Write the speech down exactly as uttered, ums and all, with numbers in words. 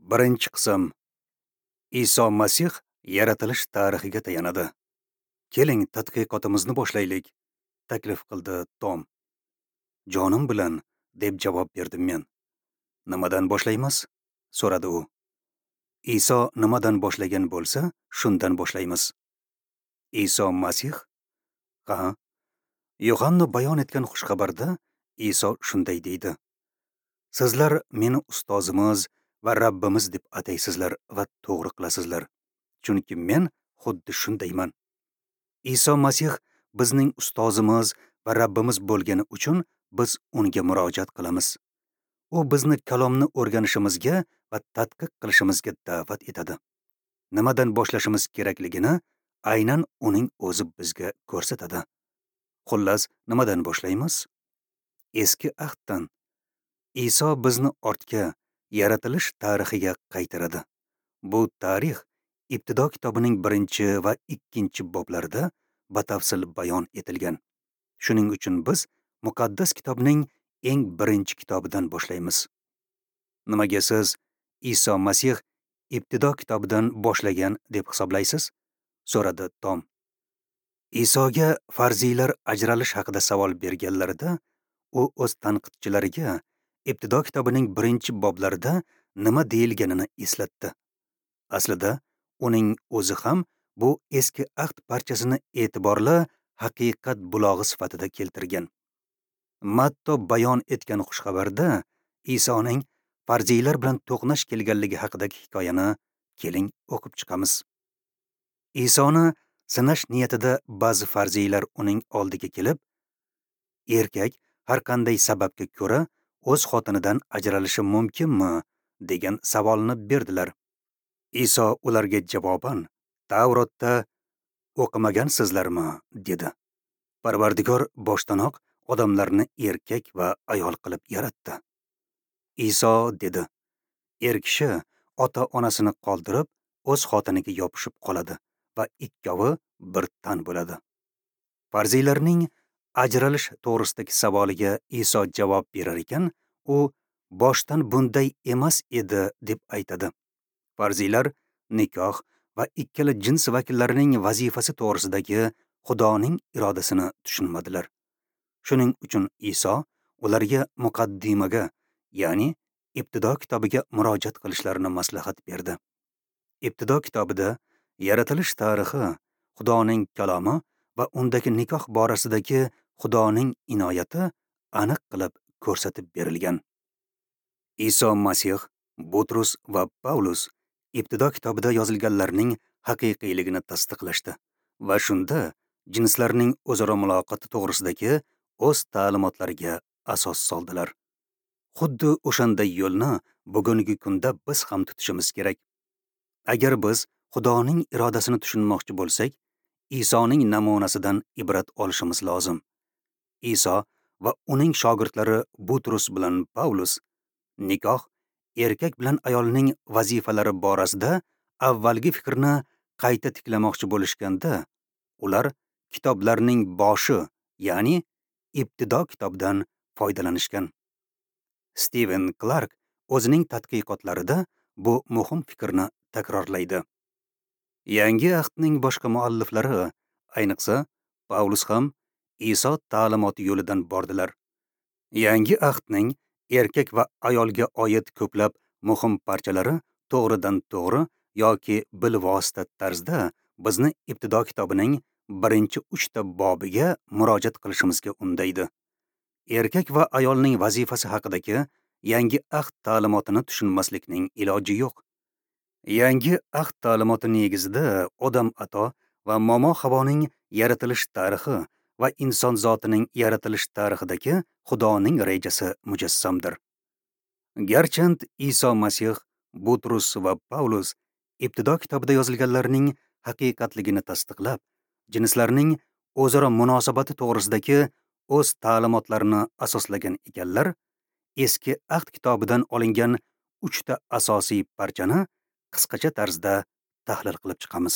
Birinchi qism. Iso Masih yaratilish tarixiga tayanadi. Keling, tadqiqotimizni boshlaylik, taklif qildi Tom. Jonim bilan, deb javob berdim men. Nimadan boshlaymiz? So'radi u. Iso nimadan boshlagan bo'lsa, shundan boshlaymiz. Iso Masih? Ha. Yohanna bayon etgan xushxabarda Iso shunday deydi: Sizlar meni ustozimiz va Rabbimiz deb ataysizlar va to'g'ri qilasizlar, chunki men xuddi shundayman. Iso Masih bizning ustozimiz va Rabbimiz bo'lgani uchun biz unga murojaat qilamiz. U bizni kalomni o'rganishimizga va tadqiq qilishimizga da'vat etadi. Nimadan boshlashimiz kerakligini aynan uning o'zi bizga ko'rsatadi. Xullas, nimadan boshlaymiz? Eski ahddan. Iso bizni ortga, yaratilish tarixiga qaytaradi. Bu tarix Ibtido kitobining birinchi va ikkinchi boblarida batafsil bayon etilgan. Shuning uchun biz muqaddas kitobning eng birinchi kitobidan boshlaymiz. Nimaga siz Iso Masih Ibtido kitobidan boshlagan deb hisoblaysiz? So'radi Tom. Isoga farziylar ajralish haqida savol berganlarida, u o'z tanqidchilariga Ibtido kitobining birinchi boblarida nima deyilganini eslatdi. Aslida uning o'zi ham bu eski ahd parchasini e'tiborli haqiqat bulog'i sifatida keltirgan. Matto bayon etgan xushxabarda Isoning farziylar bilan to'qnash kelganligi haqidagi hikoyani keling o'qib chiqamiz. Isoni sinash niyatida ba'zi farziylar uning oldiga kelib, erkak har qanday sababga ko'ra o'z xotinidan ajralishi mumkinmi degan savolni berdilar. Iso ularga javoban, Tavrotda o'qimagansizlarmi, dedi. Parvardigor boshdanoq odamlarni erkak va ayol qilib yaratdi. Iso dedi, er kishi ota-onasini qoldirib, o'z xotiniga yopishib qoladi va ikkovi bir tan bo'ladi. Farziylarning ajralish to'g'risidagi savoliga Iso javob berar ekan, u boshdan bunday emas edi deb aytadi. Farziylar nikoh va ikkala jins vakillarining vazifasi to'g'risidagi Xudoning irodasini tushunmadilar. Shuning uchun Iso ularga muqaddimaga, ya'ni Ibtido kitobiga murojaat qilishlarini maslahat berdi. Ibtido kitobida yaratilish tarixi, Xudoning kalomi va undagi nikoh borasidagi Xudoning inoyati aniq qilib ko'rsatib berilgan. Iso Masih, Butrus va Pavlus Ibtido kitobida yozilganlarning haqiqiyligini tasdiqlashdi va shunda jinslarning o'zaro muloqoti to'g'risidagi o'z ta'limotlariga asos soldilar. Xuddi o'shanday yo'lni bugungi kunda biz ham tutishimiz kerak. Agar biz Xudoning irodasini tushunmoqchi bo'lsak, Isoning namunasidan ibrat olishimiz lozim. Iso va uning shogirdlari Butrus bilan Pavlus nikoh erkak bilan ayolning vazifalari borasida avvalgi fikrni qayta tiklamoqchi bo'lishganda, ular kitoblarning boshi, ya'ni Ibtido kitobidan foydalanishgan. Steven Clark o'zining tadqiqotlarida bu muhim fikrni takrorlaydi. Yangi ahdning boshqa mualliflari, ayniqsa Pavlus ham Iso ta'limoti yo'lidan bordilar. Yangi ahdning erkak va ayolga oid ko'plab muhim parchalari to'g'ridan to'g'ri yoki bilvosita tarzda bizni Ibtido kitobining birinchi uchta bobiga murojaat qilishimizga undaydi. Erkak va ayolning vazifasi haqidagi yangi ahd ta'limotini tushunmaslikning iloji yo'q. Yangi ahd ta'limoti negizida Odam ato va Momo Havoning yaratilish tarixi va inson zotining yaratilish tarixidagi Xudoning rejasi mujassamdir. Garchand Iso Masih, Butrus va Pavlus Ibtido kitobida yozilganlarning haqiqatligini tasdiqlab, jinslarning o'zaro munosabati to'g'risidagi o'z ta'limotlarini asoslagan ekanlar, eski ahd kitobidan olingan uchta asosiy parchani qisqacha tarzda tahlil qilib chiqamiz.